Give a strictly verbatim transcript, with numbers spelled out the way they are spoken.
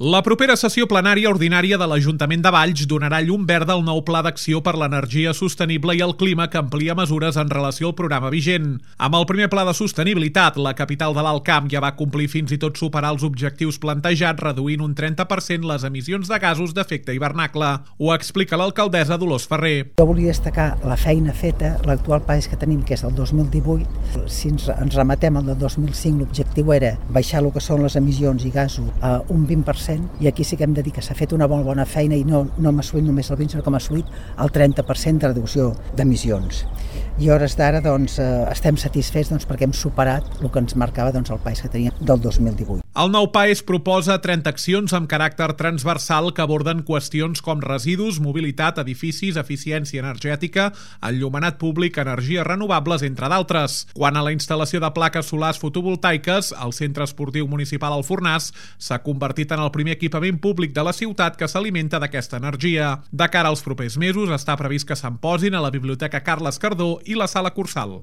La propera sessió plenària ordinària de l'Ajuntament de Valls donarà llum verda al nou Pla d'Acció per l'Energia Sostenible i el Clima que amplia mesures en relació al programa vigent. Amb el primer Pla de Sostenibilitat, la capital de l'Alt Camp ja va complir fins i tot superar els objectius plantejats, reduint un trenta per cent les emissions de gasos d'efecte hivernacle. Ho explica l'alcaldessa Dolors Ferrer. Jo volia destacar la feina feta, l'actual país que tenim, que és el dos mil divuit. Si ens, ens remetem al del dos mil cinc, l'objectiu era baixar el que són les emissions i gasos a un vint per cent, i aquí sí que hem de dir que s'ha fet una molt bona feina i no, no hem assolit només el vint, sinó que hem assolit el trenta per cent de reducció d'emissions. I a hores d'ara doncs, eh, estem satisfets doncs, perquè hem superat el que ens marcava doncs, el país que teníem del dos mil divuit. El nou país proposa trenta accions amb caràcter transversal que aborden qüestions com residus, mobilitat, edificis, eficiència energètica, enllumenat públic, energies renovables, entre d'altres. Quant a la instal·lació de plaques solars fotovoltaiques, el Centre Esportiu Municipal Alfornàs s'ha convertit en el primer equipament públic de la ciutat que s'alimenta d'aquesta energia. De cara als propers mesos està previst que se'n posin a la Biblioteca Carles Cardó i la Sala Cursal.